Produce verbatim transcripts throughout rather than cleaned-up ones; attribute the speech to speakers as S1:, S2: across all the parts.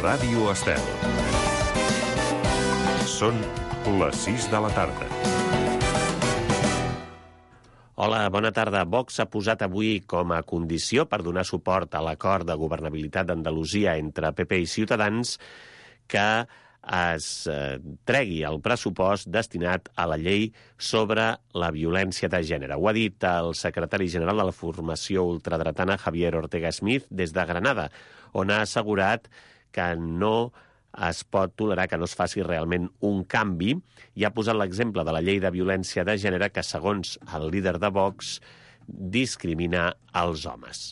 S1: Ràdio Estel. Són les sis de la tarda.
S2: Hola, bona tarda. Vox ha posat avui com a condició per donar suport a l'acord de governabilitat d'Andalusia entre P P i Ciutadans que es eh, tregui el pressupost destinat a la llei sobre la violència de gènere. Ho ha dit el secretari general de la formació ultradretana Javier Ortega Smith des de Granada, on ha assegurat que no es pot tolerar que no es faci realment un canvi i ha posat l'exemple de la llei de violència de gènere que, segons el líder de Vox, discrimina els homes.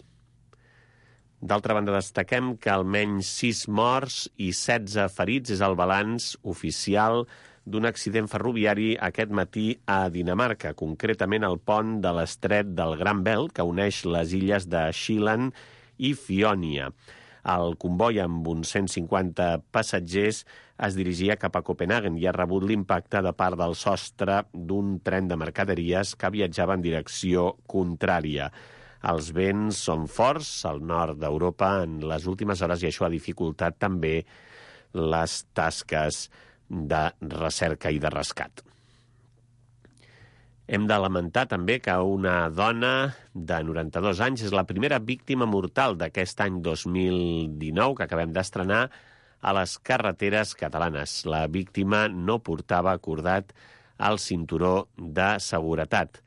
S2: D'altra banda, destaquem que almenys sis morts i setze ferits és el balanç oficial d'un accident ferroviari aquest matí a Dinamarca, concretament al pont de l'estret del Gran Belt, que uneix les illes de Sjælland i Fionia. El comboi amb uns cent cinquanta passatgers es dirigia cap a Copenhagen i ha rebut l'impacte de part del sostre d'un tren de mercaderies que viatjava en direcció contrària. Els vents són forts al nord d'Europa en les últimes hores i això ha dificultat també les tasques de recerca i de rescat. Hem de lamentar també que una dona de noranta-dos anys és la primera víctima mortal d'aquest any dos mil dinou que acabem d'estrenar a les carreteres catalanes. La víctima no portava acordat el cinturó de seguretat.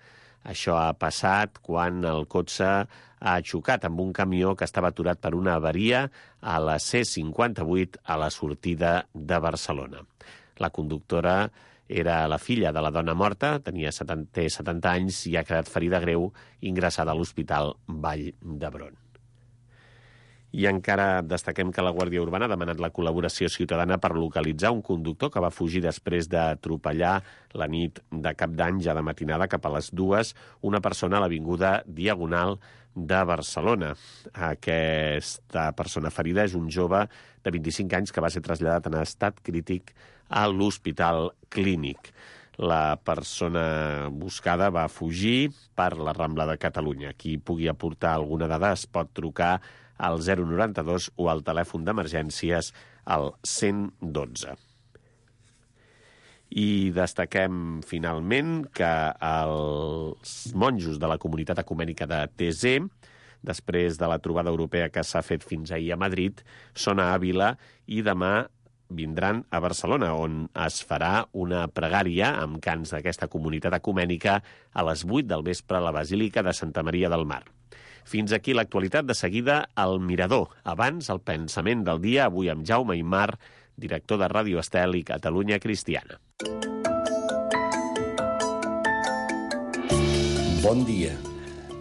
S2: Això ha passat quan el cotxe ha xocat amb un camió que estava aturat per una avaria a la C cinquanta-vuit a la sortida de Barcelona. La conductora era la filla de la dona morta, tenia setanta, setanta anys i ha quedat ferida greu ingressada a l'Hospital Vall d'Hebron. I encara destaquem que la Guàrdia Urbana ha demanat la col·laboració ciutadana per localitzar un conductor que va fugir després d'atropellar la nit de Cap d'Any, ja de matinada, cap a les dues, una persona a l'avinguda Diagonal de Barcelona. Aquesta persona ferida és un jove de vint-i-cinc anys que va ser traslladat en estat crític a l'Hospital Clínic. La persona buscada va fugir per la Rambla de Catalunya. Qui pugui aportar alguna dada es pot trucar al zero noranta-dos o al telèfon d'emergències al cent dotze. I destaquem finalment que els monjos de la comunitat ecumènica de Thésée, després de la trobada europea que s'ha fet fins ahir a Madrid, són a Àvila i demà vindran a Barcelona, on es farà una pregària amb cants d'aquesta comunitat ecumènica a les vuit del vespre a la Basílica de Santa Maria del Mar. Fins aquí l'actualitat. De seguida, el Mirador. Abans, el pensament del dia, avui amb Jaume Aymar, director de Ràdio Estel i Catalunya Cristiana.
S3: Bon dia.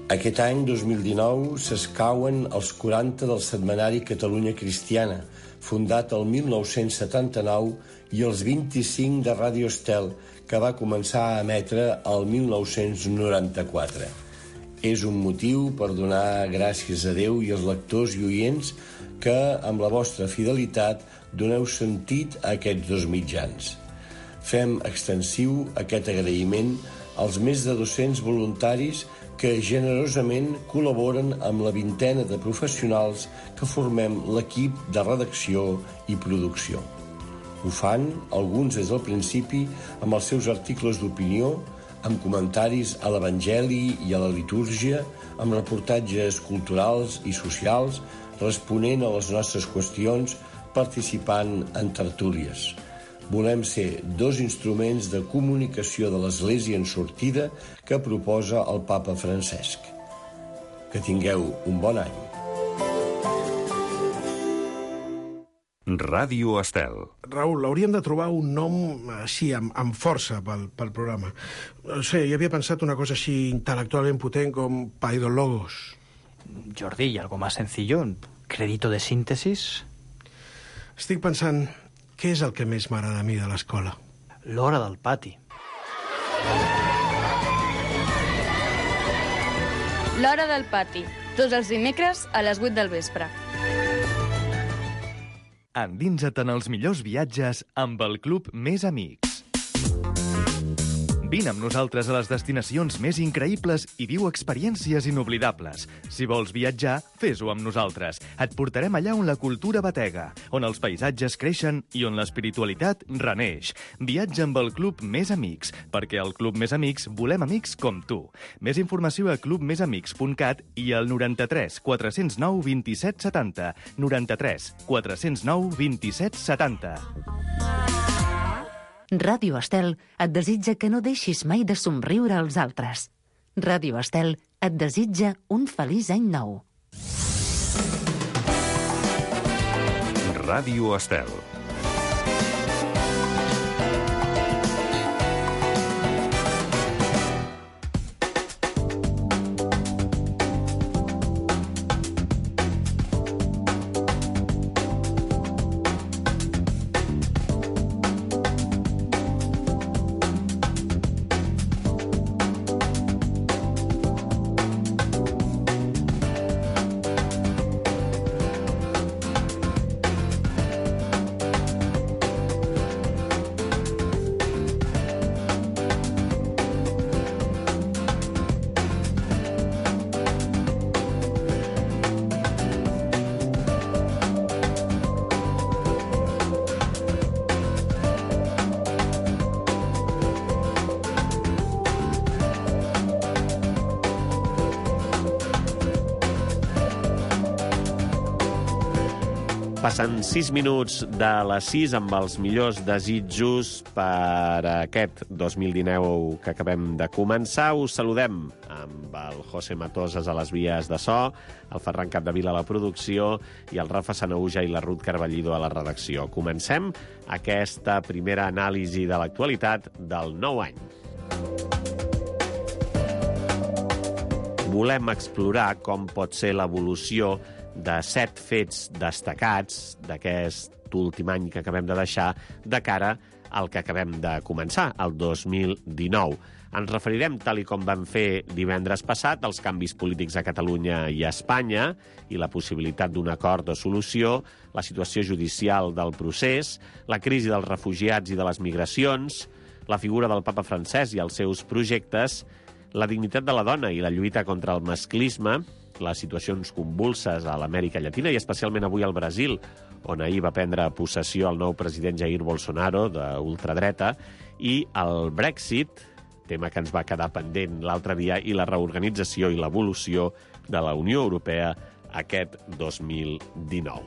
S3: Aquest any, dos mil dinou, s'escauen els quaranta del setmanari Catalunya Cristiana, fundat el mil nou-cents setanta-nou, i els vint-i-cinc de Ràdio Estel, que va començar a emetre el mil nou-cents noranta-quatre. És un motiu per donar gràcies a Déu i als lectors i oients que, amb la vostra fidelitat, doneu sentit a aquests dos mitjans. Fem extensiu aquest agraïment als més de dos-cents voluntaris que generosament col·laboren amb la vintena de professionals que formem l'equip de redacció i producció. Ho fan, alguns des del principi, amb els seus articles d'opinió, amb comentaris a l'Evangeli i a la litúrgia, amb reportatges culturals i socials, responent a les nostres qüestions, participant en tertúlies. Volem ser dos instruments de comunicació de l'Església en sortida que proposa el papa Francesc. Que tingueu un bon any.
S1: Ràdio Estel.
S4: Raül, hauríem de trobar un nom així, amb, amb força pel, pel programa. No sé, jo havia pensat una cosa així intel·lectualment potent com Paidologos.
S5: Jordi, ¿y algo más sencillo? ¿Crédito de síntesis?
S4: Estic pensant, què és el que més m'agrada a mi de l'escola?
S5: L'hora del pati.
S6: L'hora del pati, tots els dimecres a les vuit del vespre.
S7: Endinsa't en els millors viatges amb el Club Més Amics. Vine amb nosaltres a les destinacions més increïbles i viu experiències inoblidables. Si vols viatjar, fes-ho amb nosaltres. Et portarem allà on la cultura batega, on els paisatges creixen i on l'espiritualitat reneix. Viatja amb el Club Més Amics, perquè al Club Més Amics volem amics com tu. Més informació a club més amics punt cat i al noranta-tres quatre zero nou vint-i-set setanta. noranta-tres quatre zero nou vint-i-set setanta.
S8: Ràdio Estel et desitja que no deixis mai de somriure als altres. Ràdio Estel et desitja un feliç any nou.
S1: Ràdio Estel.
S2: Passen sis minuts de les sis amb els millors desitjos per aquest dos mil dinou que acabem de començar. Us saludem amb el José Matosas a les vies de so, el Ferran Capdevila a la producció i el Rafa Sanauja i la Ruth Carballido a la redacció. Comencem aquesta primera anàlisi de l'actualitat del nou any. Volem explorar com pot ser l'evolució de set fets destacats d'aquest últim any que acabem de deixar de cara al que acabem de començar, el dos mil dinou. Ens referirem, tal i com vam fer divendres passat, als canvis polítics a Catalunya i a Espanya i la possibilitat d'un acord de solució, la situació judicial del procés, la crisi dels refugiats i de les migracions, la figura del papa francès i els seus projectes, la dignitat de la dona i la lluita contra el masclisme, les situacions convulses a l'Amèrica Llatina i especialment avui al Brasil, on ahir va prendre possessió el nou president Jair Bolsonaro, d'ultradreta, i el Brexit, tema que ens va quedar pendent l'altre dia, i la reorganització i l'evolució de la Unió Europea aquest dos mil dinou.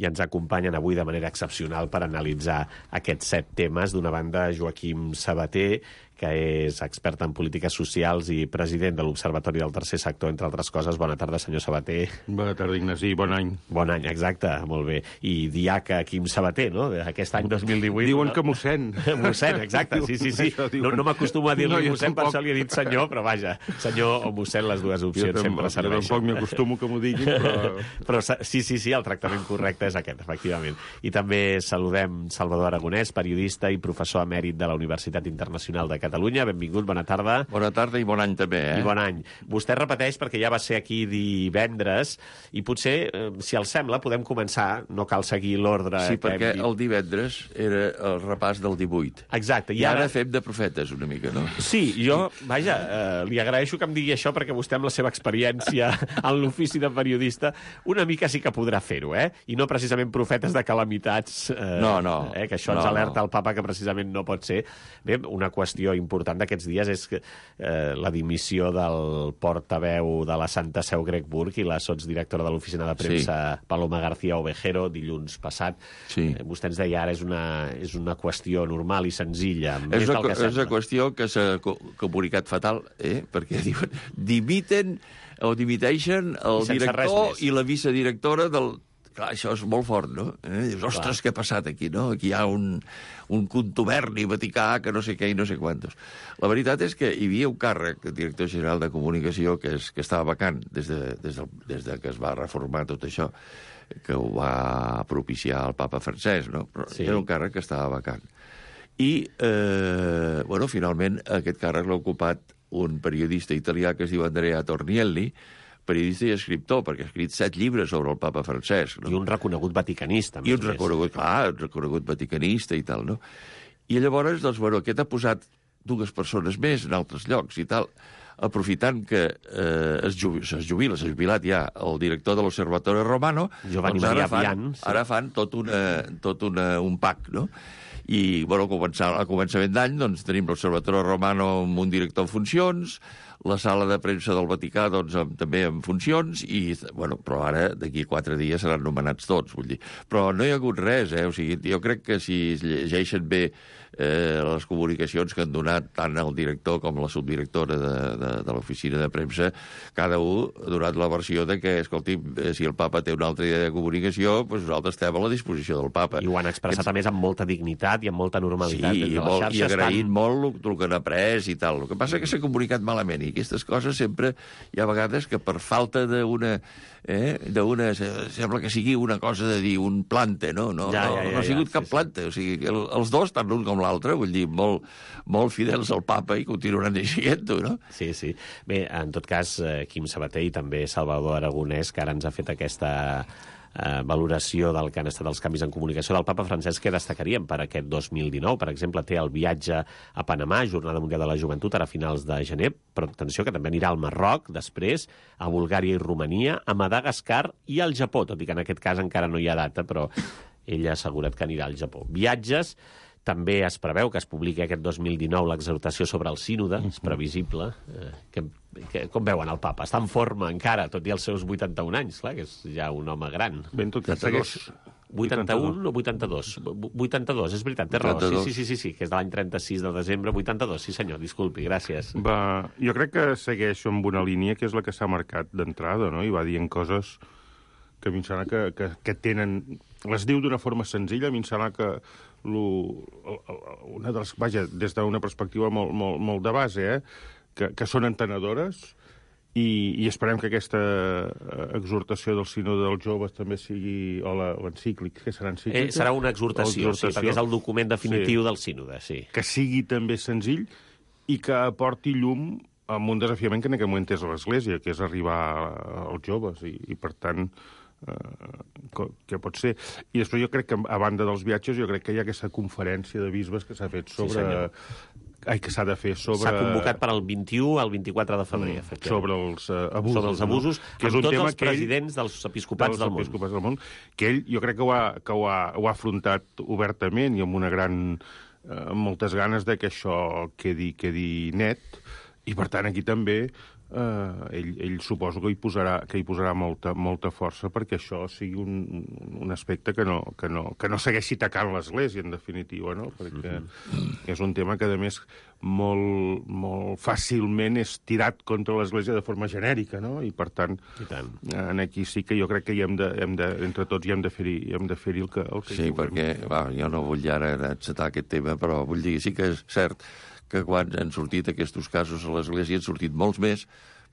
S2: I ens acompanyen avui de manera excepcional per analitzar aquests set temes. D'una banda, Joaquim Sabater, que és expert en polítiques socials i president de l'Observatori del Tercer Sector, entre altres coses. Bona tarda, senyor Sabater.
S9: Bona tarda, Ignasi. Bon any.
S2: Bon any, exacte, molt bé. I diaca Quim Sabater, no?, aquest any dos mil divuit.
S9: Diuen
S2: no?
S9: que mossèn.
S2: Mossèn, exacte, sí, sí, sí. No, no m'acostumo a dir-li no, mossèn, per això li he dit senyor, però vaja, senyor o mossèn, les dues opcions jo sempre serveixen.
S9: Jo tampoc m'acostumo que m'ho diguin, però...
S2: però sí, sí, sí, el tractament correcte és aquest, efectivament. I també saludem Salvador Aragonès, periodista i professor emèrit de la Universitat Internacional de Catalunya. Benvingut, bona tarda.
S10: Bona tarda i bon any també, eh?
S2: I bon any. Vostè repeteix perquè ja va ser aquí divendres i potser, eh, si els sembla, podem començar, no cal seguir l'ordre...
S10: Sí, perquè el divendres era el repàs del divuit.
S2: Exacte.
S10: I ara, ara fem de profetes una mica, no?
S2: Sí, jo, vaja, eh, li agraeixo que em digui això perquè vostè amb la seva experiència en l'ofici de periodista una mica sí que podrà fer-ho, eh? I no precisament profetes de calamitats... Eh,
S10: no, no.
S2: Eh, que això ens
S10: no,
S2: alerta
S10: no.
S2: el papa que precisament no pot ser. Bé, una qüestió important d'aquests dies és que, eh, la dimissió del portaveu de la Santa Seu Greg Burke i la sotsdirectora de l'oficina de premsa sí. Paloma García Ovejero dilluns passat.
S10: Sí.
S2: Eh, vostè ens deia ara és una, és una qüestió normal i senzilla.
S10: És una, que és una qüestió que s'ha comunicat fatal, eh? Perquè diuen, dimiten o dimiteixen el director i la vicedirectora del... Clar, això és molt fort, no? Eh? Dius, ostres, clar. Què ha passat aquí, no? Aquí hi ha un, un contuberni vaticà que no sé què i no sé quantos. La veritat és que hi havia un càrrec, el director general de comunicació, que, és, que estava vacant des de, des, de, des de que es va reformar tot això, que ho va propiciar el papa francès, no? Però sí. Era un càrrec que estava vacant. I, eh, bueno, finalment, aquest càrrec l'ha ocupat un periodista italià que es diu Andrea Tornielli, periodista i escriptor, perquè ha escrit set llibres sobre el papa Francesc. No?
S2: I un reconegut vaticanista.
S10: I un reconegut, clar, un reconegut vaticanista i tal, no? I llavors, doncs, bueno, aquest ha posat dues persones més en altres llocs i tal, aprofitant que eh, es, jubila, es jubila, s'ha jubilat ja el director de l'Observatorio Romano,
S2: Giovanni
S10: doncs
S2: Maria
S10: ara fan,
S2: Vian, sí.
S10: ara fan tot, una, tot una, un pack, no? I, bueno, a començament d'any, doncs, tenim l'Observatorio Romano amb un director en funcions, la sala de premsa del Vaticà, doncs, amb, també en funcions, i, bueno, però ara, d'aquí quatre dies, seran nomenats tots, vull dir. Però no hi ha hagut res, eh? O sigui, jo crec que si es llegeixen bé eh, les comunicacions que han donat tant el director com la subdirectora de, de, de l'oficina de premsa, cada un ha donat la versió de que, escolti, si el papa té una altra idea de comunicació, doncs nosaltres estem a la disposició del papa.
S2: I ho han expressat, a més, amb molta dignitat i amb molta normalitat.
S10: Sí, i, molt, i agraït estan... molt el que han après i tal. El que passa és que s'ha comunicat malament, i aquestes coses sempre hi ha vegades que per falta d'una... Eh, d'una... Sembla que sigui una cosa de dir un plante, no? No,
S2: ja,
S10: no,
S2: ja, ja,
S10: no ha sigut
S2: ja,
S10: cap
S2: sí,
S10: plante. Sí. O sigui, el, els dos, tant l'un com l'altre, vull dir, molt, molt fidels al papa i continuaran sent-ho, no?
S2: Sí, sí. Bé, en tot cas, Quim Sabater i també Salvador Aragonès, que ara ens ha fet aquesta eh, valoració del que han estat els canvis en comunicació del papa Francesc, que destacaríem per aquest dos mil dinou. Per exemple, té el viatge a Panamà, Jornada Mundial de la Joventut, ara a finals de gener, però atenció, que també anirà al Marroc, després, a Bulgària i Romania, a Madagascar i al Japó, tot i que en aquest cas encara no hi ha data, però ell ha assegurat que anirà al Japó. Viatges. També es preveu que es publiqui aquest dos mil dinou l'exhortació sobre el sínode, és previsible. Eh, que, que, com veuen el papa? Està en forma encara, tot i els seus vuitanta-un anys, clar, que és ja un home gran.
S9: Ben tot que segueix...
S2: vuitanta-un o vuitanta-dos? vuitanta-dos, és veritat, té raó. Sí, sí, sí, sí, sí, que és de l'any trenta-sis de desembre, vuitanta-dos, sí senyor, disculpi, gràcies.
S9: Va, jo crec que segueix amb una línia que és la que s'ha marcat d'entrada, no? I va dient coses que a mi em sembla que, que, que tenen... Les diu d'una forma senzilla, a mi em sembla que lo, una de les, vaja, des d'una perspectiva molt, molt, molt de base, eh? que, que són entenedores, i, i esperem que aquesta exhortació del sínode dels joves també sigui, o l'encíclic, que serà encíclica?
S2: Eh, serà una exhortació, exhortació, sí, perquè és el document definitiu sí. del sínode, sí. Que
S9: sigui també senzill i que aporti llum amb un desafiament que en aquest moment és l'Església, que és arribar als joves, i, i per tant... Uh, que pot ser. I després jo crec que, a banda dels viatges, jo crec que hi ha aquesta conferència de bisbes que s'ha fet sobre... Sí, Ai, que s'ha de fer sobre...
S2: S'ha convocat per al vint-i-u al vint-i-quatre de febrer, mm,
S9: sobre els uh, abusos.
S2: Sobre els abusos,
S9: no? Que
S2: amb
S9: és un
S2: tots
S9: tema
S2: els presidents ell, dels episcopats del món.
S9: Episcopats del món. Que ell, jo crec que ho ha, que ho ha, ho ha afrontat obertament i amb una gran... Uh, amb moltes ganes de que això quedi, quedi net, i per tant aquí també... Uh, ell, ell suposo que hi posarà, que hi posarà molta, molta força perquè això sigui un, un aspecte que no, que, no, que no segueixi tacant l'Església, en definitiva, no? Perquè mm-hmm. és un tema que, a més, molt, molt fàcilment és tirat contra l'Església de forma genèrica, no? I, per tant,
S2: I tant.
S9: en aquí sí que jo crec que hi hem de, hem de, entre tots hi hem de fer-hi hem de fer el que, el que
S10: sí, perquè, va, jo no vull ara encetar aquest tema, però vull dir, sí que és cert que quan han sortit aquests casos a l'Església han sortit molts més,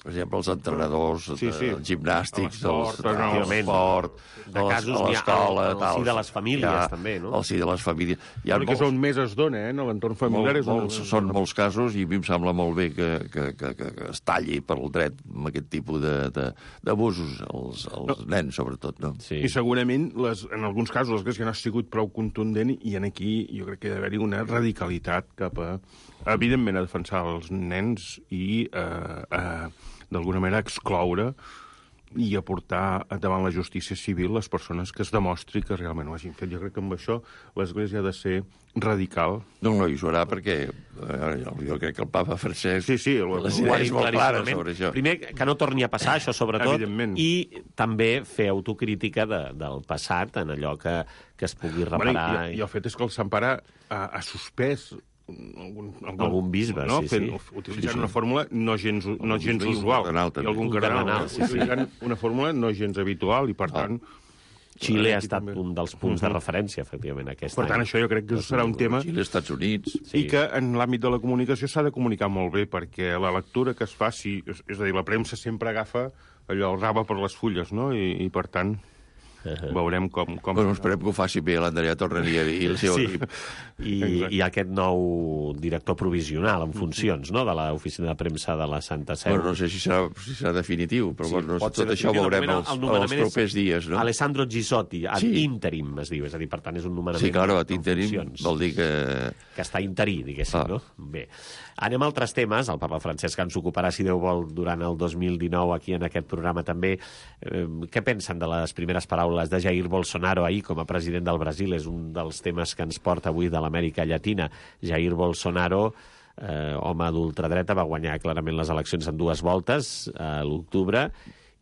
S10: per exemple, els entrenadors, sí, sí. els gimnàstics, l'esport,
S2: de casos a l'escola, al si de les famílies, ja, també, no?
S10: Al si de les famílies.
S9: Hi ha molts... que on més es dona, eh? En l'entorn familiar
S10: molt,
S9: és on...
S10: molts, són molts casos, i a mi em sembla molt bé que, que, que, que es talli per el dret amb aquest tipus d'abusos, als, als no. nens, sobretot, no?
S9: Sí. I segurament, les, en alguns casos, l'Església no ha sigut prou contundent, i en aquí jo crec que hi ha d'haver-hi una radicalitat cap a, evidentment, a defensar els nens i eh, eh, d'alguna manera excloure i aportar davant la justícia civil les persones que es demostri que realment ho hagin fet. Jo crec que amb això l'Església ha de ser radical.
S10: No, no, i ho serà perquè eh, jo crec que el papa Francesc
S9: sí, sí, el,
S10: les idees molt clares sobre això.
S2: Primer, que no torni a passar això, sobretot, i també fer autocrítica de, del passat en allò que, que es pugui reparar.
S9: Bueno, i, i el fet és que el Sant Pare ha, ha suspès
S2: algun, algun, algun bisbe,
S9: no?
S2: sí,
S9: Fent,
S2: sí.
S9: Utilitzant
S2: sí, sí.
S9: una fórmula no gens, no gens usual. I algun cardenal, sí, sí. Utilitzant una fórmula no gens habitual, i per
S2: ah.
S9: tant...
S2: Xile ha estat també un dels punts uh-huh. de referència, efectivament, aquest
S9: per any. Per tant, això jo crec que serà un tema...
S10: Xile, Estats Units...
S9: Sí. I que en l'àmbit de la comunicació s'ha de comunicar molt bé, perquè la lectura que es faci... És a dir, la premsa sempre agafa allò, el rave per les fulles, no? I, i per tant... Uh-huh. Veurem com... com...
S10: Bueno, esperem que ho faci bé l'Andrea Torrenier i el seu
S2: sí.
S10: equip.
S2: I, I aquest nou director provisional en funcions, no?, de l'oficina de premsa de la Santa Seu.
S10: Bueno, no sé si serà, si serà definitiu, però
S2: sí,
S10: bueno,
S2: tot
S10: tot això ho veurem els, els propers dies, no?
S2: Alessandro Gisotti, ad
S10: sí.
S2: interim, es diu, és a dir, per tant, és un nomenament...
S10: Sí, clar, ad interim vol dir que...
S2: Que està interí, diguéssim, ah. no? Bé. Anem a altres temes, el papa Francesc ens ocuparà, si Déu vol, durant el dos mil dinou aquí en aquest programa també. Eh, què pensen de les primeres paraules de Jair Bolsonaro ahir com a president del Brasil? És un dels temes que ens porta avui de l'Amèrica Llatina. Jair Bolsonaro, eh, home d'ultradreta, va guanyar clarament les eleccions en dues voltes a l'octubre,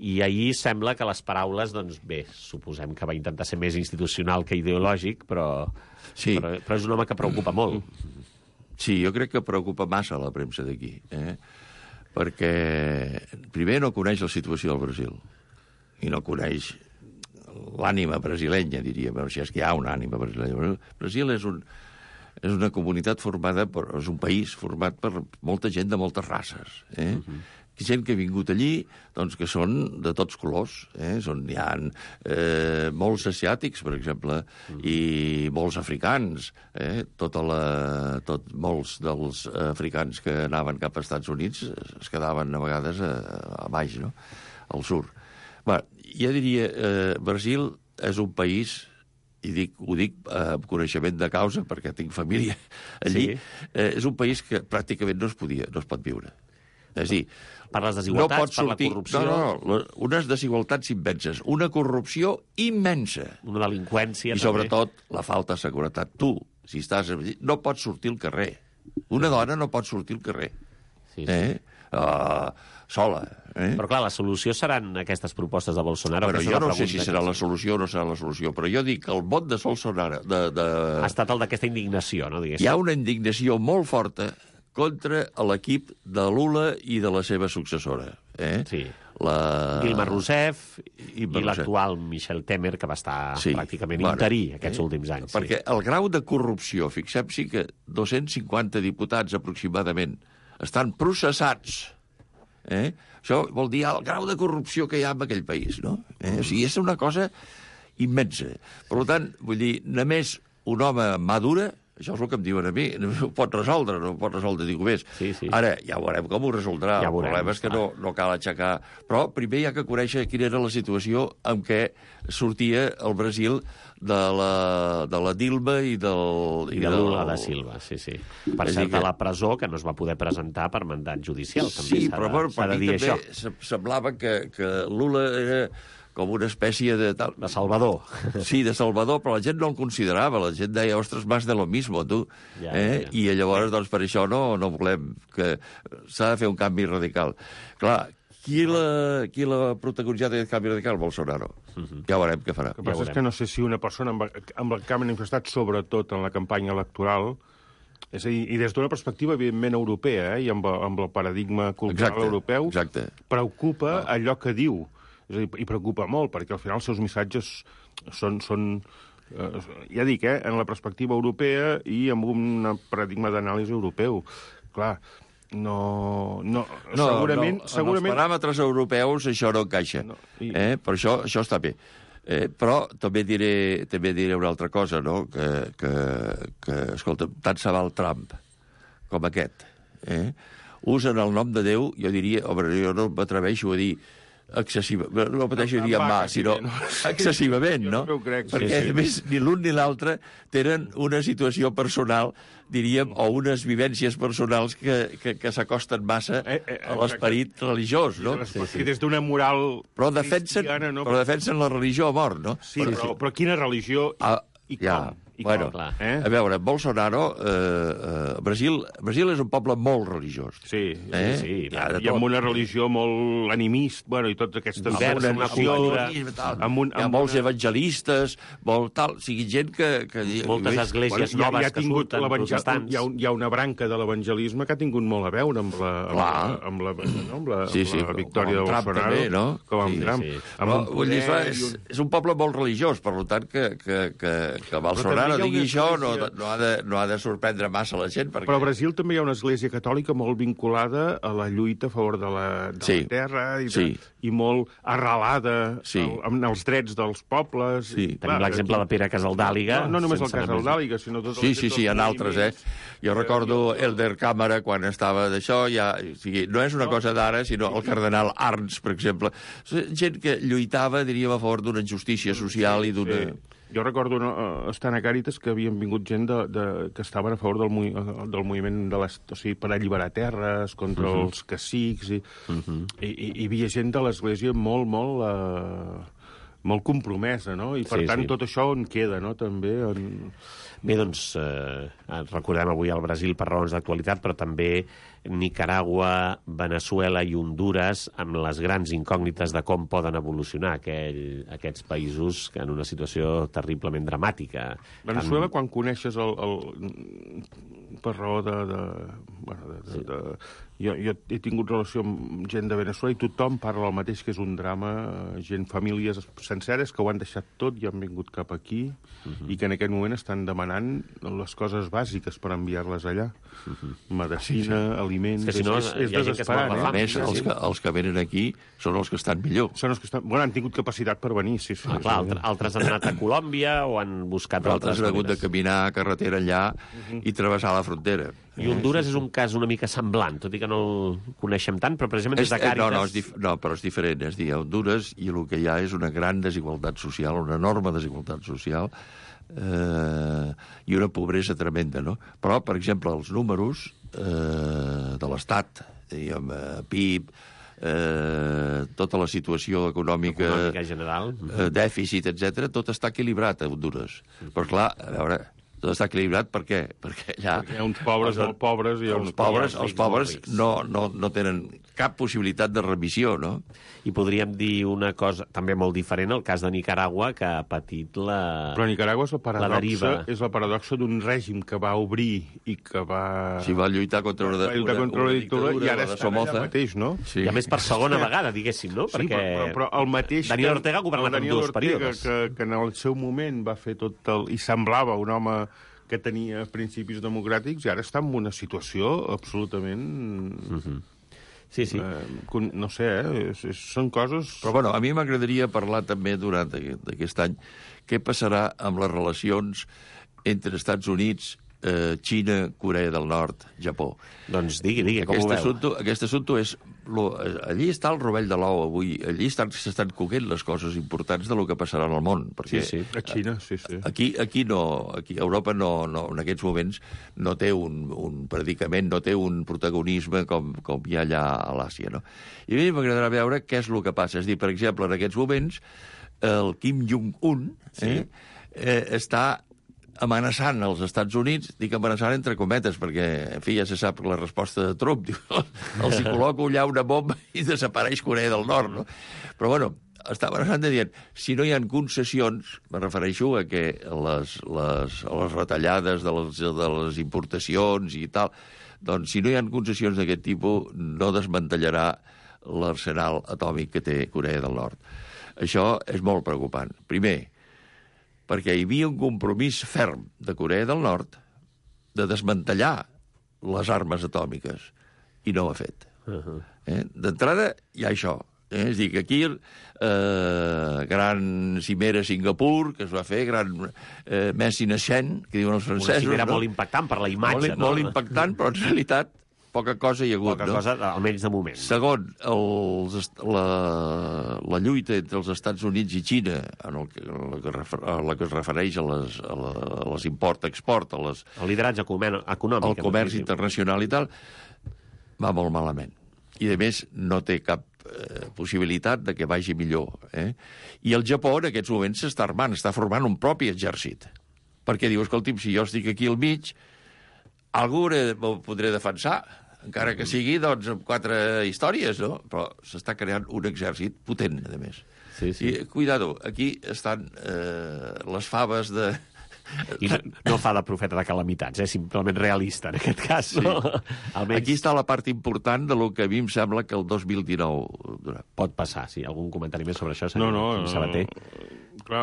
S2: i ahir sembla que les paraules, doncs bé, suposem que va intentar ser més institucional que ideològic, però,
S10: sí.
S2: però, però és un home que preocupa molt.
S10: Sí, jo crec que preocupa massa la premsa d'aquí, eh? Perquè primer no coneix la situació del Brasil i no coneix l'ànima brasilenya, diria, però si és que hi ha una ànima brasilenya. Brasil és, un, és una comunitat formada, per, és un país format per molta gent de moltes races, eh? Uh-huh. Gent que ha vingut allí, doncs que són de tots colors, eh? Són, hi ha eh, molts asiàtics, per exemple, mm. i molts africans, eh? Tota la, tot, molts dels africans que anaven cap als Estats Units es quedaven a vegades a, a baix, no?, al sur. Bé, jo diria, eh, Brasil és un país, i dic, ho dic amb coneixement de causa, perquè tinc família allí, sí. eh, és un país que pràcticament no es podia, no es pot viure. És a dir,
S2: per les desigualtats,
S10: no sortir,
S2: per la corrupció...
S10: No, no, no, unes desigualtats immenses, una corrupció immensa.
S2: Una delinqüència,
S10: I sobretot també. La falta de seguretat. Tu, si estàs... no pots sortir al carrer. Una dona no pot sortir al carrer.
S2: Sí, sí.
S10: Eh? Uh, sola. Eh?
S2: Però clar, la solució seran aquestes propostes de Bolsonaro.
S10: Però jo no sé si serà la solució o no serà la solució, però jo dic que el vot de Bolsonaro... De, de...
S2: Ha estat el d'aquesta indignació, no? Diguéssim.
S10: Hi ha una indignació molt forta contra l'equip de Lula i de la seva successora. Eh?
S2: Sí.
S10: La...
S2: Dilma Rousseff i, i l'actual Michel Temer, que va estar sí. pràcticament bueno, interí aquests eh? últims anys.
S10: Perquè
S2: sí.
S10: el grau de corrupció, fixem-s'hi que dos-cents cinquanta diputats aproximadament estan processats. Eh? Això vol dir el grau de corrupció que hi ha en aquell país, no? Eh? O sigui, és una cosa immensa. Per tant, vull dir, només un home madura, això és el que em diuen a mi, no ho pot resoldre, no ho pot resoldre ningú més.
S2: Sí, sí.
S10: Ara, ja veurem com ho resoldrà.
S2: Ja
S10: el
S2: veurem,
S10: problema és que no, no cal aixecar... Però primer hi ha que conèixer quina era la situació en què sortia el Brasil de la, de la Dilma i del...
S2: I de Lula da Silva, sí, sí. Per cert, a la presó, que no es va poder presentar per mandat judicial. També
S10: sí, però bueno, per mi també això. Semblava que, que Lula era... com una espècie de... Tal...
S2: De salvador.
S10: Sí, de salvador, però la gent no el considerava. La gent deia, ostres, más de lo mismo, tu.
S2: Ja,
S10: eh?
S2: ja.
S10: I llavors, doncs, per això no, no volem que... S'ha de fer un canvi radical. Clar, qui l'ha qui l'ha protagonitzat aquest canvi radical? Bolsonaro. Uh-huh. Ja veurem què farà.
S9: El que passa ja és que no sé si una persona amb, amb el que ha manifestat, sobretot en la campanya electoral, és a dir, i des d'una perspectiva, evidentment, europea, eh, i amb, amb el paradigma cultural
S10: exacte,
S9: europeu,
S10: exacte.
S9: preocupa ah. allò que diu. És a dir, i preocupa molt, perquè al final els seus missatges són, són eh, ja dic, eh, en la perspectiva europea i amb un paradigma d'anàlisi europeu. Clar, no... no,
S10: no
S9: segurament,
S10: no,
S9: segurament...
S10: en els paràmetres europeus això no encaixa. No, i... eh? Per això, això està bé. Eh, però també diré, també diré una altra cosa, no? Que, que, que escolta, tant se val Trump com aquest. Eh? Usen el nom de Déu, jo diria, home, jo no m'atreveixo a dir excessivament, no pateixo dir amb mà, sinó excessivament, no?
S9: no crec,
S10: perquè,
S9: sí,
S10: a més, ni l'un ni l'altre tenen una situació personal, diríem, o unes vivències personals que, que, que s'acosten massa
S9: eh, eh,
S10: a l'esperit religiós, no?
S9: Sí, sí. Des d'una moral
S10: però defensen,
S9: cristiana, no?
S10: Però defensen la religió a mort, no?
S9: Sí, però, però, però quina religió i,
S10: ah,
S9: i
S10: ja.
S9: com? I
S10: bueno,
S9: com? Eh?
S10: A veure, Bolsonaro, eh, eh, Brasil, Brasil és un poble molt religiós.
S9: Sí,
S10: eh?
S9: sí, sí. I amb una religió molt animista, bueno, i totes aquestes...
S10: Diversa,
S9: amb una
S10: cultura, amb un,
S9: amb
S10: hi ha molts
S9: una...
S10: evangelistes, molt tal, o sigui, gent que... que
S2: moltes
S10: que
S2: esglésies
S9: bueno,
S2: noves
S9: ja, ja
S2: que surten
S9: protestants. Hi ha, hi ha una branca de l'evangelisme que ha tingut molt a veure amb la, amb la, amb la, no? amb la,
S10: sí, sí,
S9: amb la victòria de
S10: Bolsonaro.
S9: També,
S10: no?
S9: Com amb
S10: sí,
S9: Trump.
S10: Sí.
S9: Amb
S10: però, vull dir, és, és un poble molt religiós, per tant, que, que, que, que Bolsonaro...
S9: també
S10: no
S9: hi ha
S10: digui
S9: una
S10: això, no,
S9: església-
S10: no, ha de, no ha de sorprendre massa la gent, perquè...
S9: Però a Brasil també hi ha una església catòlica molt vinculada a la lluita a favor de la, de
S10: Sí.
S9: la terra i, de,
S10: Sí.
S9: i molt arrelada
S10: Sí.
S9: al, amb els drets dels pobles.
S10: Sí.
S9: I,
S2: Tenim l'exemple de Pere Casaldàliga.
S9: No, no només el
S2: sense anar més-
S9: Casaldàliga, sinó tot
S10: Sí, sí, sí, hi ha altres, eh? Jo recordo Elder Càmera, quan estava d'això, ja, o sigui, no és una cosa d'ara, sinó el cardenal Arns, per exemple. Gent que lluitava, diríem, a favor d'una justícia social i d'una...
S9: Sí. Jo recordo no, uh, estant a Càritas que havien vingut gent de, de, que estaven a favor del, movi del moviment de les, o sigui, per alliberar terres contra uh -huh. els cacics i, uh -huh. i, i hi havia gent de l'Església molt, molt, uh, molt compromesa, no? I per
S2: Sí,
S9: tant
S2: sí.
S9: tot això on queda, no? També en...
S2: Bé, doncs, eh, recordem avui el Brasil per raons d'actualitat, però també Nicaragua, Venezuela i Honduras amb les grans incògnites de com poden evolucionar aquell, aquests països en una situació terriblement dramàtica.
S9: Venezuela,
S2: Amb...
S9: quan coneixes el, el... per raó de... de, bueno, de, de, de... Jo, jo he tingut relació amb gent de Venezuela i tothom parla el mateix, que és un drama, gent, famílies senceres que ho han deixat tot i han vingut cap aquí uh -huh. i que en aquest moment estan demanant les coses bàsiques per enviar-les allà. Uh -huh. Medicina, sí, sí. aliments...
S2: És que si no,
S9: és, és
S2: hi ha gent que es mor
S9: desesperant,
S2: de
S9: eh?
S2: fam.
S10: A més, els que, els que venen aquí són els que estan millor.
S9: Són els que estan... Bueno, han tingut capacitat per venir, sí, sí.
S2: Ah, clar, altres, altres han anat a Colòmbia o han buscat
S10: Però altres
S2: altres
S10: han hagut de
S2: maneres.
S10: caminar a carretera enllà uh -huh. i travessar la frontera.
S2: I Honduras és un cas una mica semblant, tot i que no el coneixem tant, però precisament des de
S10: És- eh,
S2: Càritas...
S10: No, no, és dif no, però és diferent. És dir, a Honduras i el que hi ha és una gran desigualtat social, una enorme desigualtat social eh, i una pobresa tremenda, no? Però, per exemple, els números eh, de l'Estat, diguem, eh, P I B, eh, tota la situació econòmica,
S2: Econòmica general.
S10: eh, dèficit, etcètera, tot està equilibrat a Honduras. Però, clar, a veure, tot està equilibrat per què? Perquè allà...
S9: Hi ha uns pobres
S10: els-
S9: molt pobres i hi ha
S10: els
S9: uns
S10: pobres,
S2: rics
S10: els pobres
S2: molt rics.
S10: no, no, no tenen cap possibilitat de remissió, no?
S2: I podríem dir una cosa també molt diferent, el cas de Nicaragua, que ha patit la...
S9: Però Nicaragua és la
S2: La
S9: paradoxa,
S2: deriva.
S9: és la paradoxa d'un règim que va obrir i que va...
S10: Si va lluitar contra una,
S9: va lluitar
S10: una,
S9: contra
S10: una
S9: una dictadura, i ara
S10: la de
S9: estan allà
S10: Somoza.
S9: mateix, no?
S10: Sí.
S2: I a més per segona vegada, diguéssim, no?
S9: Sí,
S2: Perquè
S9: però, però el mateix...
S2: Daniel
S9: que-
S2: Ortega ha governat
S9: el
S2: en
S9: Daniel
S2: dos
S9: Ortega,
S2: períodes.
S9: Que, que en el seu moment va fer tot el... i semblava un home que tenia principis democràtics i ara està en una situació absolutament...
S2: Uh -huh. Sí, sí.
S9: Eh, con- no sé, eh? És, és, són coses...
S10: Però, bueno, a mi m'agradaria parlar també durant aquest, aquest any què passarà amb les relacions entre Estats Units, eh, Xina, Corea del Nord, Japó.
S2: Doncs digui, digui, com
S10: Aquest
S2: ho veu?
S10: assumpte, aquest assumpte és... Lo, allí està el rovell de l'ou avui. Allí estan- s'estan coguent les coses importants de lo que passarà en el món. Perquè
S2: Sí, sí.
S9: A Xina, sí, sí.
S10: Aquí, aquí no, aquí Europa no, no, en aquests moments no té un, un predicament, no té un protagonisme com, com hi ha allà a l'Àsia, no? I a mi m'agradarà veure què és el que passa. És dir, per exemple, en aquests moments, el Kim Jong-un eh, eh, està amenaçant els Estats Units, dic amenaçant entre cometes, perquè, en fi, ja se sap la resposta de Trump, diu, els hi col·loco allà una bomba i desapareix Corea del Nord, no? Però, bueno, està amenaçant de dient, si no hi ha concessions, me refereixo a que les, les, a les retallades de les, de les importacions i tal, doncs si no hi ha concessions d'aquest tipus, no desmantellarà l'arsenal atòmic que té Corea del Nord. Això és molt preocupant. Primer, perquè hi havia un compromís ferm de Corea del Nord de desmantellar les armes atòmiques, i no ho ha fet. Uh -huh. eh? D'entrada, hi ha això. Eh? És a dir, que aquí, eh, gran cimera a Singapur, que es va fer, gran eh, Messi naixent, que diuen els francesos...
S2: Una cimera
S10: no?
S2: molt impactant per la imatge,
S10: molt,
S2: no?
S10: molt impactant, però en realitat poca cosa hi ha hagut,
S2: Poca
S10: no?
S2: cosa, almenys de moment.
S10: Segon, els, la, la lluita entre els Estats Units i Xina, en el que, en la, que refer, a la que es refereix a les, a la, a les import-export, a les,
S2: El lideratge econòmic.
S10: al comerç internacional i tal, va molt malament. I, a més, no té cap eh, possibilitat de que vagi millor. Eh? I el Japó, en aquests moments, s'està armant, està formant un propi exèrcit. Perquè diu, escolti'm, si jo estic aquí al mig, algú ho podré defensar, encara que sigui, doncs, amb quatre històries, no? Però s'està creant un exèrcit potent, a més.
S2: Sí, sí.
S10: I, cuidado, aquí estan eh, les faves de...
S2: I no, no fa de profeta de calamitats, eh? Simplement realista, en aquest cas.
S10: Sí.
S2: No? Almenys
S10: Aquí està la part important de lo que a mi em sembla que el dos mil dinou...
S2: pot passar, sí. Algun comentari més sobre això,
S9: No,
S2: senyor
S9: no,
S2: Sabater?
S9: Clar,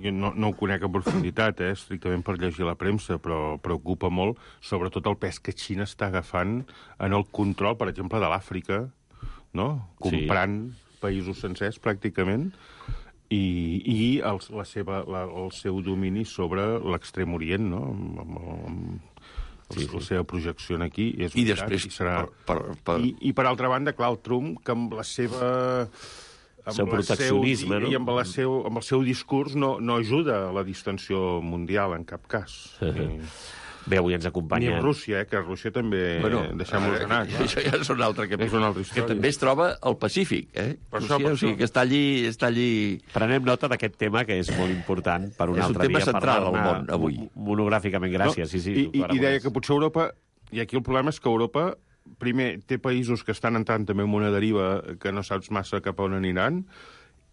S9: jo no, no ho conec en profunditat, eh, estrictament per llegir la premsa, però preocupa molt, sobretot el pes que Xina està agafant en el control, per exemple, de l'Àfrica, no? Comprant sí. països sencers, pràcticament, i, i el, la seva, la, el seu domini sobre l'extrem orient, no? Amb, amb, amb, Sí, sí. La seva projecció aquí és
S10: I després...
S9: I, serà...
S10: per, per, per...
S9: I, I, per altra banda, clar, el Trump, que amb la seva...
S2: Amb seu proteccionisme,
S9: seu,
S2: no?
S9: I amb, la seu, amb el seu discurs no, no ajuda a la distensió mundial, en cap cas. I...
S2: Bé, avui ens acompanya...
S9: Ni amb Rússia, eh, que Rússia també... Bueno, deixem-los anar. Clar.
S10: Això ja és una altra, que,
S9: és una altra història.
S10: Que també es troba al Pacífic, eh?
S9: Per
S10: Rússia,
S9: això, per
S10: o sigui, que està allí, està allí...
S2: Prenem nota d'aquest tema, que és molt important per un
S10: és
S2: altre dia.
S10: És un tema central al món, avui.
S2: Monogràficament, gràcies.
S9: No?
S2: Sí, sí,
S9: I, i, I deia que potser Europa... I aquí el problema és que Europa, primer, té països que estan entrant també en una deriva que no saps massa cap a on aniran,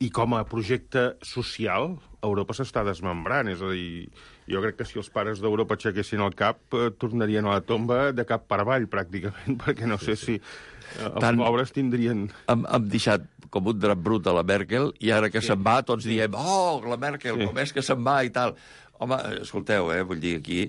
S9: i com a projecte social, Europa s'està desmembrant. És a dir, jo crec que si els pares d'Europa aixequessin el cap, eh, tornarien a la tomba de cap per avall, pràcticament, perquè no sé si eh, els Tant pobres tindrien...
S10: Hem, hem deixat com un drap brut a la Merkel, i ara que sí. se'n va, tots diem, oh, la Merkel, sí. com és que se'n va i tal. Home, escolteu, eh, vull dir, aquí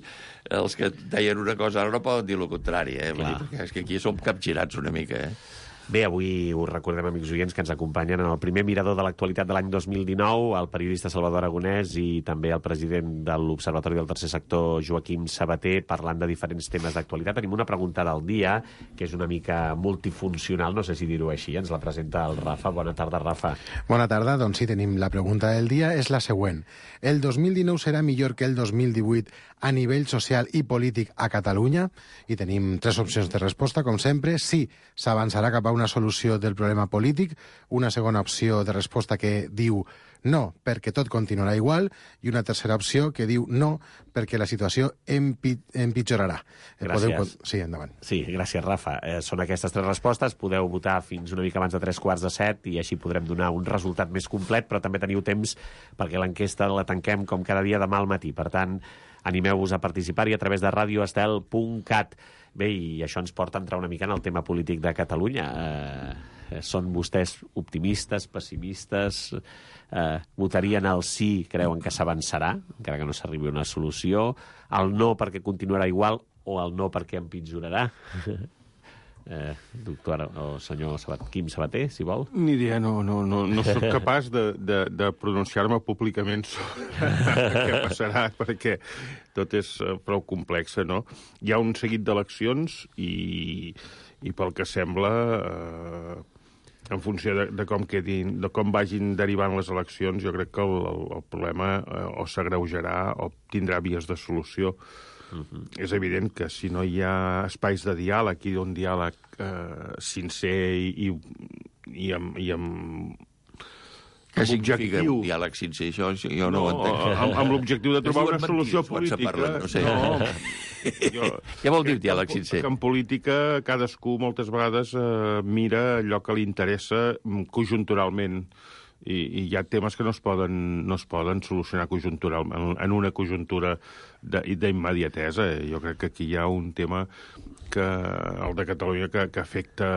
S10: els que deien una cosa ara no poden dir el contrari, eh? Vull dir, perquè és que aquí som capgirats una mica, eh?
S2: Bé, avui us recordem, amics oients, que ens acompanyen en el primer mirador de l'actualitat de l'any dos mil dinou, el periodista Salvador Aragonès i també el president de l'Observatori del Tercer Sector, Joaquim Sabater, parlant de diferents temes d'actualitat. Tenim una pregunta del dia, que és una mica multifuncional, no sé si dir-ho així, ens la presenta el Rafa. Bona tarda, Rafa.
S11: Bona tarda, doncs sí, tenim la pregunta del dia, és la següent. El dos mil dinou serà millor que el dos mil divuit a nivell social i polític a Catalunya? I tenim tres opcions de resposta, com sempre. Sí, s'avançarà cap a una solució del problema polític. Una segona opció de resposta que diu no, perquè tot continuarà igual, i una tercera opció que diu no, perquè la situació empi empitjorarà.
S2: Gràcies.
S11: Podeu... Sí, endavant.
S2: Sí, gràcies, Rafa. Eh, són aquestes tres respostes. Podeu votar fins una mica abans de tres quarts de set i així podrem donar un resultat més complet, però també teniu temps perquè l'enquesta la tanquem com cada dia demà al matí. Per tant, animeu-vos a participar-hi a través de radio estel punt cat. Bé, i això ens porta a entrar una mica en el tema polític de Catalunya. Eh, són vostès optimistes, pessimistes? Eh, votarien el sí, creuen que s'avançarà, encara que no s'arribi a una solució? El no perquè continuarà igual o el no perquè empitjorarà? Eh, doctor o senyor Sabat, Quim Sabater, si vol.
S9: Ni idea, no, no, no, no soc capaç de, de, de pronunciar-me públicament sobre què passarà, perquè tot és prou complex, no? Hi ha un seguit d'eleccions i, i pel que sembla, eh, en funció de, de, com quedin, de com vagin derivant les eleccions, jo crec que el, el, el problema eh, o s'agreujarà o tindrà vies de solució. Uh-huh. És evident que si no hi ha espais de diàleg i d'un diàleg eh, sincer i, i, i amb... I amb
S10: Què significa un diàleg sincer? Això, això jo no, no ho entenc.
S9: Amb, amb l'objectiu de trobar una solució política.
S10: Parlen, no sé.
S9: No, jo,
S10: què vol dir diàleg sincer?
S9: Que en política cadascú moltes vegades eh, mira allò que li interessa conjunturalment. I, i hi ha temes que no es poden, no es poden solucionar conjunturalment, en una conjuntura d'immediatesa. Jo crec que aquí hi ha un tema que el de Catalunya que, que afecta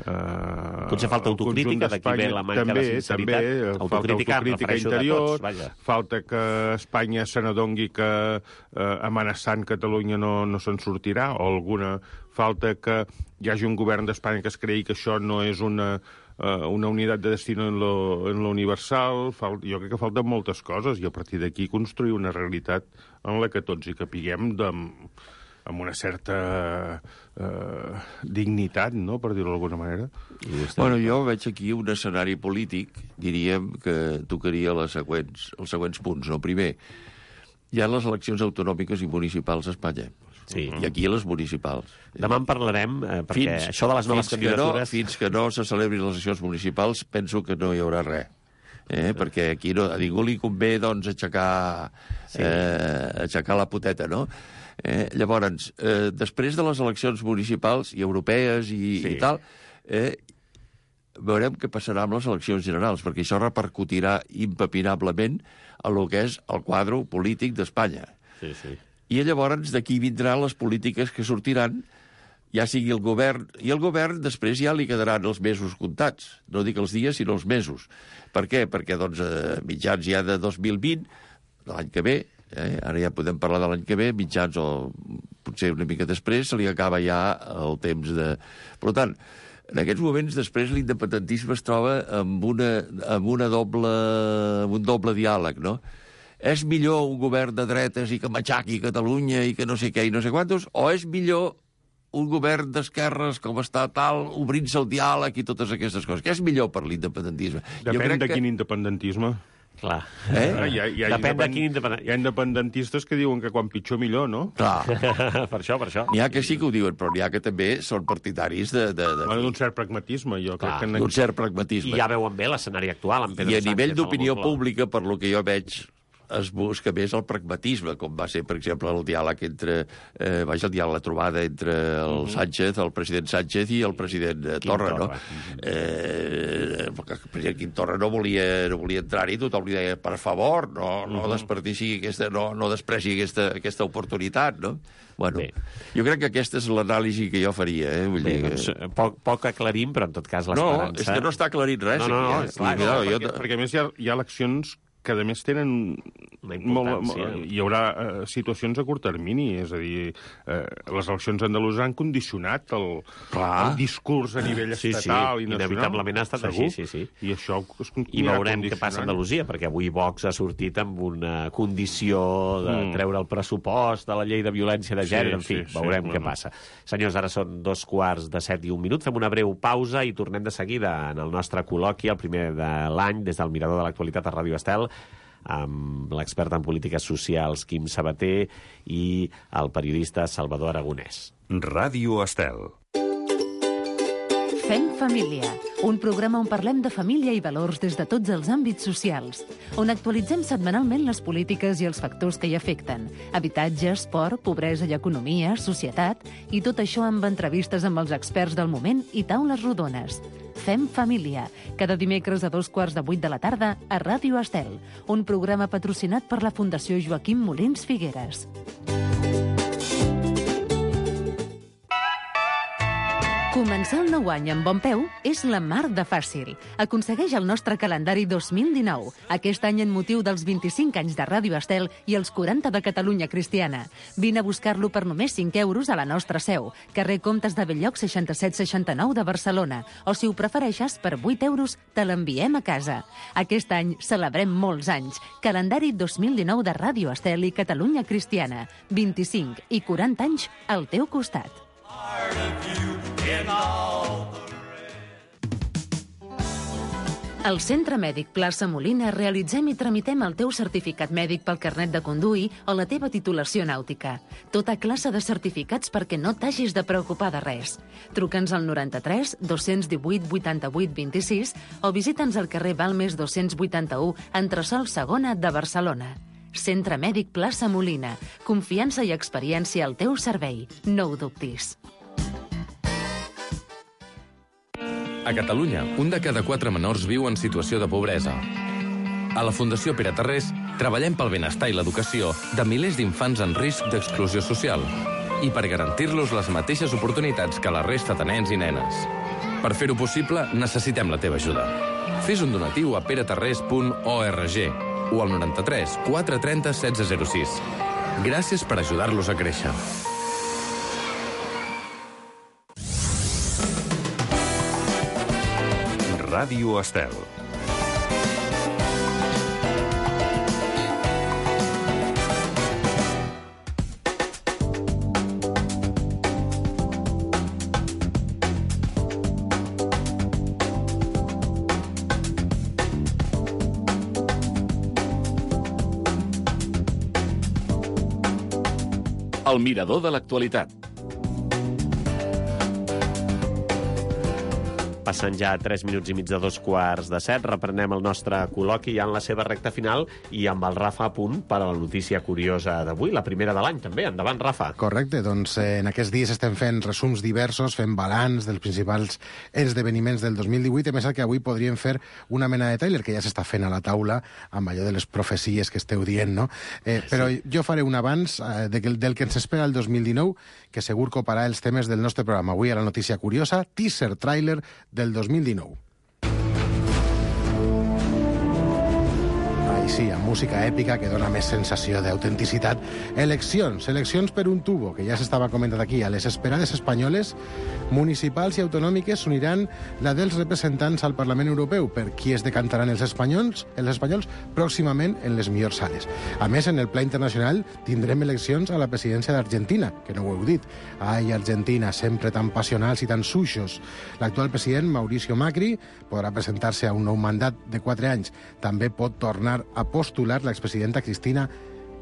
S9: eh,
S2: potser falta autocrítica, d'aquí ve la manca
S9: també,
S2: de sinceritat.
S9: També,
S2: autocrítica,
S9: falta autocrítica interior,
S2: tots,
S9: falta que Espanya se n'adongui que eh, amenaçant Catalunya no, no se'n sortirà, o alguna falta que hi hagi un govern d'Espanya que es cregui que això no és una Uh, una unitat de destino en lo, en lo universal. Fal, jo crec que falten moltes coses i a partir d'aquí construir una realitat en la que tots hi capiguem de, amb una certa uh, dignitat, no?, per dir-ho d'alguna manera.
S10: Bueno, jo veig aquí un escenari polític, diríem, que tocaria les següents, els següents punts. No? Primer, hi ha les eleccions autonòmiques i municipals a Espanya.
S2: Sí.
S10: I aquí les municipals.
S2: Demà en parlarem, eh, perquè fins, això de les noves
S10: fins
S2: candidatures...
S10: Que no, fins que no se celebrin les eleccions municipals, penso que no hi haurà res. Eh? Sí. Perquè aquí no, a ningú li convé, doncs, aixecar, sí. eh, aixecar la poteta, no? Eh? Llavors, eh, després de les eleccions municipals i europees i, sí. i tal, eh, veurem què passarà amb les eleccions generals, perquè això repercutirà impepinablement a lo que és el quadre polític d'Espanya.
S2: Sí, sí.
S10: I llavors d'aquí vindran les polítiques que sortiran ja sigui el govern, i el govern després ja li quedaran els mesos comptats. No dic els dies, sinó els mesos. Per què? Perquè, doncs, a mitjans ja de dos mil vint, de l'any que ve, eh, ara ja podem parlar de l'any que ve, mitjans o potser una mica després, se li acaba ja el temps de... Per tant, en aquests moments, després, l'independentisme es troba amb, una, amb, una doble, amb un doble diàleg, no? És millor un govern de dretes i que matxaqui Catalunya i que no sé què i no sé quantos, o és millor un govern d'esquerres com està tal, obrint-se el diàleg i totes aquestes coses? Què és millor per l'independentisme?
S9: Depèn de que... quin independentisme.
S2: Clar.
S9: Eh? Hi ha, hi ha
S2: Depèn
S9: independ...
S2: de quin independent...
S9: Hi ha independentistes que diuen que quan pitjor millor, no?
S10: Clar.
S2: per això, per això.
S10: N'hi ha que sí que ho diuen, però n'hi ha que també són partidaris de... de, de...
S9: Bueno, d'un cert pragmatisme, jo
S2: Clar,
S9: crec que...
S10: D'un cert pragmatisme.
S2: I ja veuen bé l'escenari actual, amb Pedro
S10: I a
S2: Sánchez,
S10: nivell d'opinió
S2: el
S10: pública, per lo que jo veig, es busca més el pragmatisme, com va ser, per exemple, el diàleg entre... Eh, vaja, el diàleg, la trobada entre el
S2: Mhm.
S10: Sánchez, el president Sánchez i el president eh,
S2: Quim
S10: Torra, no?
S2: Torra.
S10: Eh, perquè el president Quim Torra no volia, no volia entrar-hi, tothom li deia, per favor, no, no
S2: Mhm.
S10: desperdici aquesta, no, no despreci aquesta, aquesta oportunitat, no? Bueno,
S2: Bé.
S10: jo crec que aquesta és l'anàlisi que jo faria, eh? Vull
S2: Bé,
S10: dir
S2: doncs,
S10: que...
S2: poc, poc aclarim, però en tot cas
S10: No,
S2: l'esperança...
S10: és que no està aclarint res.
S2: No, no, no,
S10: aquí, eh?
S2: és clar,
S10: Vull dir,
S9: No,
S10: no, jo...
S9: perquè, perquè a més hi ha, hi ha eleccions que a més tenen
S2: Una
S9: molt,
S2: importància.
S9: molt, hi haurà eh, situacions a curt termini, és a dir, eh, les eleccions andaluses han condicionat el, el discurs a nivell
S2: Sí, sí,
S9: estatal i nacional.
S2: inevitablement ha estat
S9: segur.
S2: així, sí, sí.
S9: I això es
S2: I veurem què passa a Andalusia, perquè avui Vox ha sortit amb una condició de
S9: Mm.
S2: treure el pressupost de la llei de violència de
S9: Sí,
S2: gènere, en fi,
S9: sí, sí,
S2: veurem què
S9: bueno.
S2: passa. Senyors, ara són dos quarts de set i un minut, fem una breu pausa i tornem de seguida en el nostre col·loqui, el primer de l'any, des del Mirador de l'Actualitat a Ràdio Estel, amb l'expert en polítiques socials Quim Sabater i el periodista Salvador Aragonès.
S1: Ràdio Estel.
S8: Fem família, un programa on parlem de família i valors des de tots els àmbits socials, on actualitzem setmanalment les polítiques i els factors que hi afecten, habitatge, esport, pobresa i economia, societat, i tot això amb entrevistes amb els experts del moment i taules rodones. Fem família, cada dimecres a dos quarts de vuit de la tarda a Ràdio Estel, un programa patrocinat per la Fundació Joaquim Molins Figueres. Començar el nou any amb bon peu és la mar de fàcil. Aconsegueix el nostre calendari dos mil dinou, aquest any en motiu dels vint-i-cinc anys de Ràdio Estel i els quaranta de Catalunya Cristiana. Vine a buscar-lo per només cinc euros a la nostra seu, carrer Comtes de Belllloc seixanta-set seixanta-nou de Barcelona, o si ho prefereixes, per vuit euros te l'enviem a casa. Aquest any celebrem molts anys. Calendari dos mil dinou de Ràdio Estel i Catalunya Cristiana. vint-i-cinc i quaranta anys al teu costat. Al Centre Mèdic Plaça Molina realitzem i tramitem el teu certificat mèdic pel carnet de conduir o la teva titulació nàutica. Tota classe de certificats perquè no t'hagis de preocupar de res. Truca'ns al noranta-tres dos divuit vuitanta-vuit vint-i-sis o visita'ns al carrer Balmes dos-cents vuitanta-u, entresòl segona de Barcelona. Centre Mèdic Plaça Molina. Confiança i experiència al teu servei. No ho dubtis.
S12: A Catalunya, un de cada quatre menors viu en situació de pobresa. A la Fundació Pere Tarrés treballem pel benestar i l'educació de milers d'infants en risc d'exclusió social i per garantir-los les mateixes oportunitats que la resta de nens i nenes. Per fer-ho possible, necessitem la teva ajuda. Fes un donatiu a peretarrés punt org o al noranta-tres quatre trenta setze zero sis. Gràcies per ajudar-los a créixer.
S1: Ràdio Estel.
S13: El Mirador de l'Actualitat.
S2: Passen ja tres minuts i mig de dos quarts de set. Reprenem el nostre col·loqui ja en la seva recta final i amb el Rafa a punt per a la notícia curiosa d'avui, la primera de l'any també. Endavant, Rafa.
S11: Correcte, doncs eh, en aquests dies estem fent resums diversos, fent balanç dels principals esdeveniments del dos mil divuit, a més que avui podríem fer una mena de tràiler que ja s'està fent a la taula amb allò de les profecies que esteu dient, no? Eh, però sí. Jo faré un abans eh, de que, del que ens espera el dos mil dinou, que segur coparà els temes del nostre programa. Avui a la notícia curiosa, teaser tràiler del dos mil dinou. Ai, sí, amb música èpica que dona més sensació d'autenticitat. Eleccions, eleccions per un tubo, que ja s'estava comentant aquí. A les esperades espanyoles, municipals i autonòmiques s'uniran la dels representants al Parlament Europeu. Per qui es decantaran els espanyols, els espanyols pròximament en les millors sales. A més, en el pla internacional tindrem eleccions a la presidència d'Argentina, que no ho heu dit. Ai, Argentina, sempre tan passionals i tan suixos. L'actual president, Mauricio Macri, podrà presentar-se a un nou mandat de quatre anys. També pot tornar a postular l'expresidenta Cristina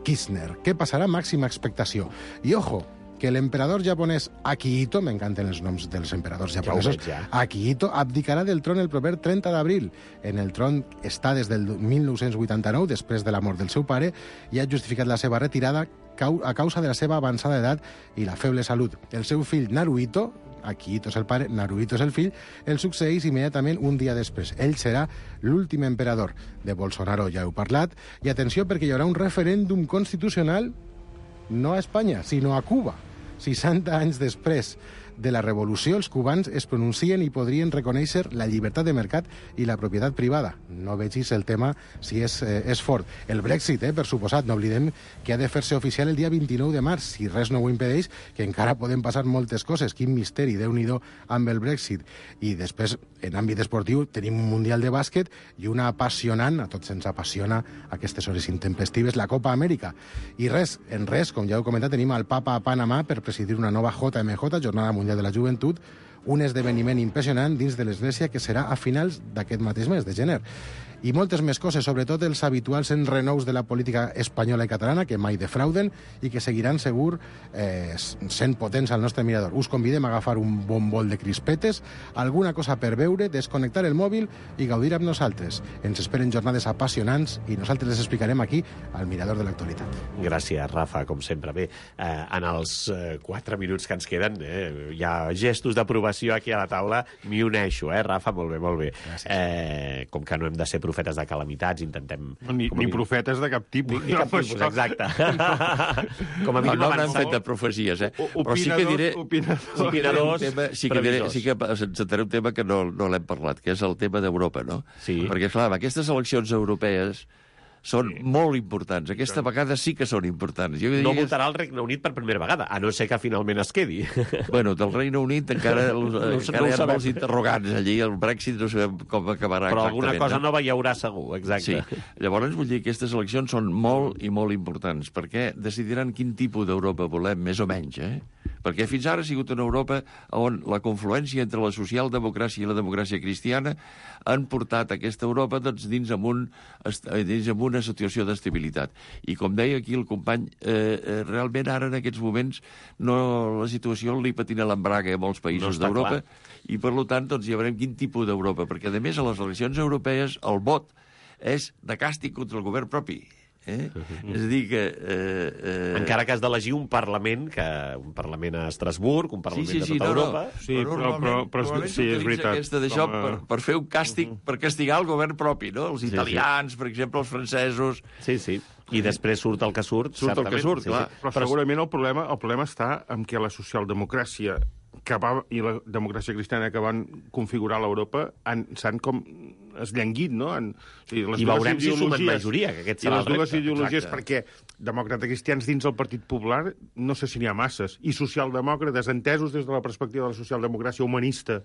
S11: Kirchner. Què passarà? Màxima expectació. I ojo, que l'emperador japonès Akihito, m'encanten els noms dels emperadors japonesos, ja ja. Akihito abdicarà del tron el proper trenta d'abril. En el tron està des del mil nou-cents vuitanta-nou, després de la mort del seu pare, i ha justificat la seva retirada a causa de la seva avançada edat i la feble salut. El seu fill Naruhito, Akihito és el pare, Naruhito és el fill, el succeeix immediatament un dia després. Ell serà l'últim emperador. De Bolsonaro ja heu parlat. I atenció, perquè hi haurà un referèndum constitucional no a Espanya, sinó a Cuba. seixanta anys després de la revolució, els cubans es pronuncien i podrien reconèixer la llibertat de mercat i la propietat privada. No vegis el tema si és, eh, és fort. El Brexit, eh, per suposat, no oblidem que ha de fer-se oficial el dia vint-i-nou de març, si res no ho impedeix, que encara poden passar moltes coses. Quin misteri, Déu-n'hi-do, amb el Brexit. I després, en àmbit esportiu, tenim un Mundial de bàsquet i una apassionant, a tots ens apassiona aquestes hores intempestives, la Copa Amèrica. I res, en res, com ja heu comentat, tenim el Papa a Panamà per presidir una nova J M J, Jornada Mundial de la Joventut, un esdeveniment impressionant dins de l'Església que serà a finals d'aquest mateix mes, de gener. I moltes més coses, sobretot els habituals enrenous de la política espanyola i catalana, que mai defrauden i que seguiran segur eh, sent potents al nostre mirador. Us convidem a agafar un bon bol de crispetes, alguna cosa per veure, desconnectar el mòbil i gaudir amb nosaltres. Ens esperen jornades apassionants i nosaltres les explicarem aquí, al mirador de l'actualitat.
S2: Gràcies, Rafa, com sempre. Bé, eh, en els eh, quatre minuts que ens queden, eh, hi ha gestos d'aprovació aquí a la taula, m'hi uneixo, eh, Rafa? Molt bé, molt bé. Eh, com que no hem de ser profetes de calamitats, intentem...
S9: Ni, ni profetes de cap tipus.
S2: Ni, ni cap tipus, exacte.
S10: Com a mínim no, no n'han fet de profecies, eh?
S9: O, Però sí que diré... Opinadors.
S2: Opinadors,
S10: tema, sí que diré, sí que ens entraré un tema que no, no l'hem parlat, que és el tema d'Europa, no?
S2: Sí.
S10: Perquè, clar, aquestes eleccions europees són sí. molt importants. Aquesta sí. vegada sí que són importants. Jo
S2: no votarà el Regne Unit per primera vegada, a no ser que finalment es quedi.
S10: Bueno, del Regne Unit encara, no, encara no hi ha molts interrogants allí. El Brexit no sabem com acabarà
S2: Però
S10: exactament. Però
S2: alguna cosa no? nova hi haurà segur, exacte.
S10: Sí. Llavors, vull dir que aquestes eleccions són molt i molt importants, perquè decidiran quin tipus d'Europa volem, més o menys, eh? Perquè fins ara ha sigut una Europa on la confluència entre la socialdemocràcia i la democràcia cristiana han portat aquesta Europa doncs, dins, amb un, dins amb una situació d'estabilitat. I com deia aquí el company, eh, realment ara en aquests moments no, la situació li patina l'embrague a molts països no d'Europa i per tant doncs, ja veurem quin tipus d'Europa, perquè a més a les eleccions europees el vot és de càstig contra el govern propi. Eh? Uh-huh. És a dir que... Eh, eh...
S2: Encara que has d'elegir un Parlament, que un Parlament a Estrasburg, un Parlament
S10: sí, sí, sí,
S2: de tota
S10: no,
S2: Europa...
S10: No. Sí, però, però, però, però sí, és veritat. Aquesta d'això per, per fer un càstig, uh-huh. per castigar el govern propi, no? Els italians, sí, sí. per exemple, els francesos...
S2: Sí, sí. I després surt el que surt,
S10: Surt
S2: certament.
S10: el que surt,
S2: sí,
S10: clar.
S2: Sí.
S9: Però, però segurament el problema, el problema està en què la socialdemocràcia que va, i la democràcia cristiana que van configurar l'Europa s'han com esllenguit, no? En, o sigui, les
S2: I veurem si sumen majoria, que aquest serà el repte.
S9: I les dues ideologies, exacte. Perquè demòcrates cristians dins del Partit Popular no sé si n'hi ha masses, i socialdemòcrates entesos des de la perspectiva de la socialdemocràcia humanista,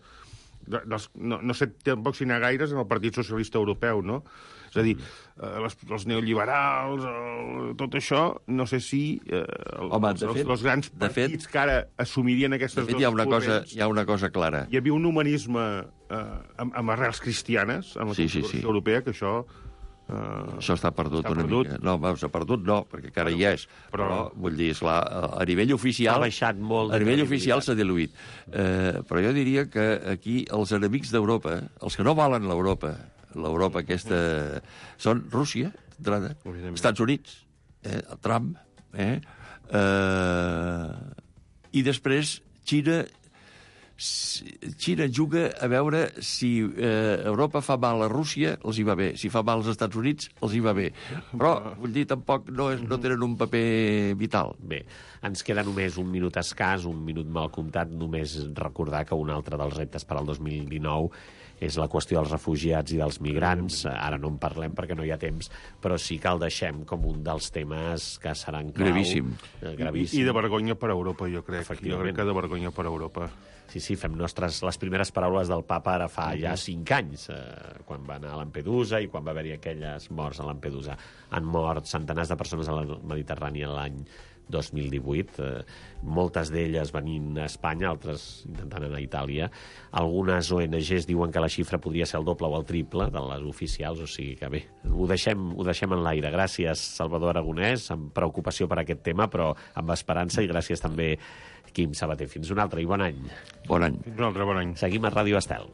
S9: de, dels, no, no sé tampoc si n'hi ha gaires en el Partit Socialista Europeu, no? És a dir, eh, les, els neoliberals, el, tot això, no sé si eh, el,
S10: Home,
S9: els,
S10: fet,
S9: els, els grans partits fet, que ara assumirien aquestes
S10: de fet,
S9: dues
S10: hi ha una
S9: corrents,
S10: cosa, hi ha una cosa clara.
S9: Hi havia un humanisme eh, amb, amb arrels cristianes en la
S10: sí,
S9: Constitució
S10: sí, sí.
S9: Europea, que això Uh,
S10: Això està perdut una perdut. mica. No, s'ha perdut no, perquè encara hi és. Però, però vull dir, esclar, a nivell oficial...
S2: Ha baixat molt.
S10: A nivell oficial s'ha diluït. Uh, però jo diria que aquí els enemics d'Europa, els que no valen l'Europa, l'Europa aquesta, són Rússia, d'entrada, Estats Units, eh, Trump, eh, uh, i després Xina... Xina juga a veure si eh, Europa fa mal a Rússia, els hi va bé. Si fa mal als Estats Units, els hi va bé. Però, vull dir, tampoc no, és, no tenen un paper vital.
S2: Bé, ens queda només un minut escàs, un minut mal comptat, només recordar que un altre dels reptes per al dos mil dinou és la qüestió dels refugiats i dels migrants. Ara no en parlem perquè no hi ha temps, però sí que el deixem com un dels temes que seran clau.
S10: Gravíssim.
S2: Gravíssim.
S9: I, I de vergonya per a Europa, jo crec. Jo crec que de vergonya per a Europa.
S2: Sí, sí, fem nostres les primeres paraules del papa ara fa ja cinc anys, eh, quan va anar a Lampedusa i quan va haver-hi aquelles morts a Lampedusa. Han mort centenars de persones a la Mediterrània l'any dos mil divuit, eh, moltes d'elles venint a Espanya, altres intentant anar a Itàlia. Algunes O N Ges diuen que la xifra podria ser el doble o el triple de les oficials, o sigui que bé, ho deixem, ho deixem en l'aire. Gràcies, Salvador Aragonès, amb preocupació per aquest tema, però amb esperança, i gràcies també, Quim Sabater. Fins un altre i bon any.
S10: Bon any.
S9: Fins un altre bon any.
S2: Seguim a Ràdio Estel.